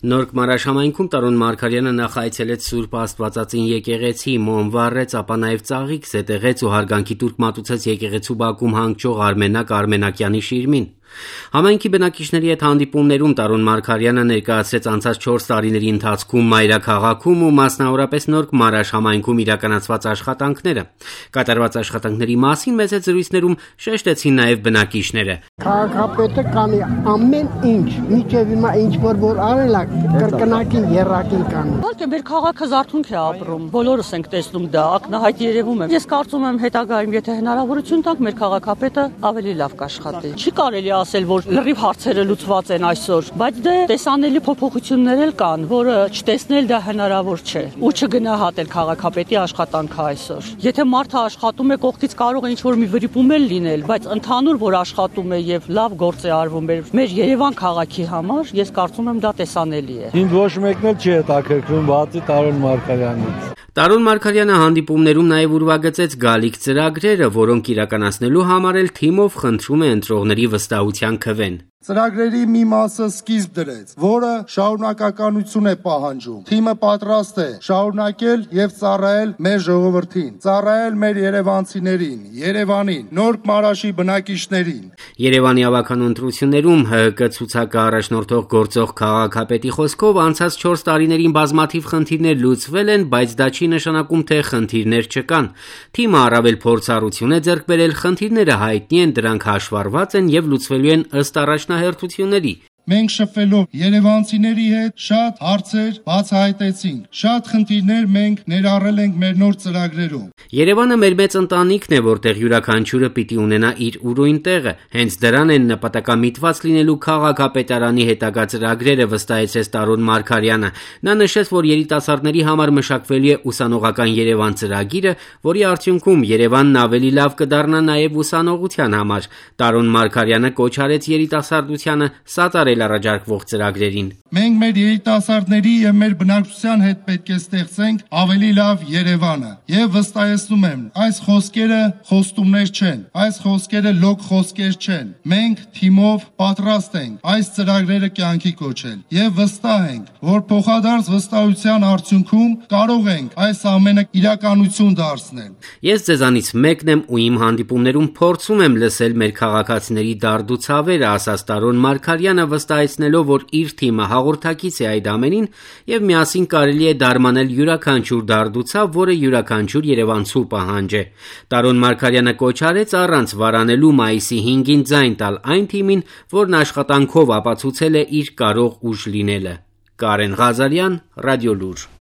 Նորք Մարաշամայնքում Տարոն Մարգարյանը նախ այցելեց Սուրբ Աստվածածին եկեղեցի, մոմ վառեց, ապա նաև ծաղիկ զետեղեց ու հարգանքի տուրք մատուցեց եկեղեցու բակում հանգչող Արմենակ Արմենակյանի շիրմին։ Համայնքի բնակիչների հետ հանդիպումներում Տարոն Մարգարյանը ներկայացրեց անցած 4 տարիների ընթացքում մայրաքաղաքում ու մասնավորապես Նորք Մարաշամայնքում իրականացված աշխատանքները։ Կատարված աշխատանքների մասին մեծ զրույցներում շեշտեցին նաև բնակիչները։ Քաղաքապետը կանի ամեն ինչ, միջև հիմա ինչ որ արել է, կրկնակին երակին կանի։ Իհարկե մեր քաղաքը զարթոնք է ապրում, բոլորս ենք տեսնում դա, ակնհայտ երևում է։ Ես կարծում եմ հետագայում, եթե հնարավորություն տանք, մեր քաղաքապետը ավելի լավ կաշխատի։ Չի կարելի ասել, որ լրիվ հարցերը լուծված են այսօր, բայց դե տեսանելի փոփոխություններ էլ կան, որը չտեսնել դա հնարավոր չէ ու չգնահատել քաղաքապետի աշխատանքը այսօր։ Եթե մարդը աշխատում է, կողքից կարող է ինչ-որ մի վրիպում էլ լինել, բայց ընդհանուր որ աշխատում է եւ լավ գործ է արվում մեր Երևան քաղաքի համար, ես կարծում եմ դա տեսանելի է։ Ինձ ոչ մեկն էլ չի հետաքրքրում, բացի Տարոն Մարգարյանից։ Տարոն Մարգարյանը հանդիպումներում նաև ուրվագծեց գալիք ծրագրերը, որոնք իրականացնելու համար էլ թիմով խնդրում է ընտրողների վստահության քվեն։ Ծրագրերի մի մասը սկիզբ դրեց, որը շարունակականություն է պահանջում։ Թիմը պատրաստ է շարունակել եւ ծառայել մեր ժողովրդին, ծառայել մեր երևանցիներին, Երևանին, Նորք Մարաշի բնակիչներին։ Երևանի ավականու ընտրություններում ՀՀԿ ցուցակը առաջնորդող գործող քաղաքապետի խոսքով անցած 4 տարիներին բազմաթիվ խնդիրներ լուծվել են, բայց դա չի նշանակում, թե խնդիրներ չկան։ Թիմը առավել փորձառություն է ձեռք բերել, խնդիրները հայտնի են, դրանք հաշվառված են եւ լուծվելու են ըստ առաջնահերթությունների։ Մենք շփվելով երևանցիների հետ շատ հարցեր բացահայտեցինք, շատ խնդիրներ մենք ներառել ենք մեր նոր ծրագրերում։ Երևանը մեր մեծ ընտանիքն է, որտեղ յուրաքանչյուրը պիտի ունենա իր ուրույն տեղը։ Հենց դրան են նպատակամիտված լինելու քաղաքապետարանի հետագա ծրագրերը, վստահեցրեց Տարոն Մարգարյանը։ Նա նշեց, որ երիտասարդների համար մշակվելու է ուսանողական Երևան ծրագիրը, որի արդյունքում Երևանն ավելի լավ կդառնա նաև ուսանողության համար։ Տարոն Մարգարյանը կոչ արեց երիտասարդությանը սատարել առաջարկվող ծրագրերին։ Մենք մեր երիտասարդների եւ մեր բնակչության հետ պետք է ստեղծենք ավելի լավ Երևանը։ Եվ վստահեցնում եմ, այս խոսքերը խոստումներ չեն, այս խոսքերը լոկ խոսքեր չեն։ Մենք թիմով պատրաստ ենք այս ծրագրերը կյանքի կոչել եւ վստահ ենք, որ փոխադարձ վստահության արդյունքում կարող ենք այս ամենը իրականություն դարձնել։ Ես ձեզանից մեկն եմ ու իմ հանդիպումներում փորձում եմ լսել մեր քաղաքացիների դարդուցավերը, ասաց Տարոն Մարգարյանը, վստահեցնելով, որ իր թիմը հաղորդակից է այդ ամենին եւ միասին կարելի է դարմանել յուրաքանչյուր դարդուցավ, որը յուրաքանչյուր երևանցու պահանջ է։ Տարոն Մարգարյանը կոչ արեց առանց վարանելու մայիսի 5-ին ձայն տալ այն թիմին, որն աշխատանքով ապացուցել է իր կարող ուժ լինելը։ Կարեն Ղազարյան, Ռադիոլուր։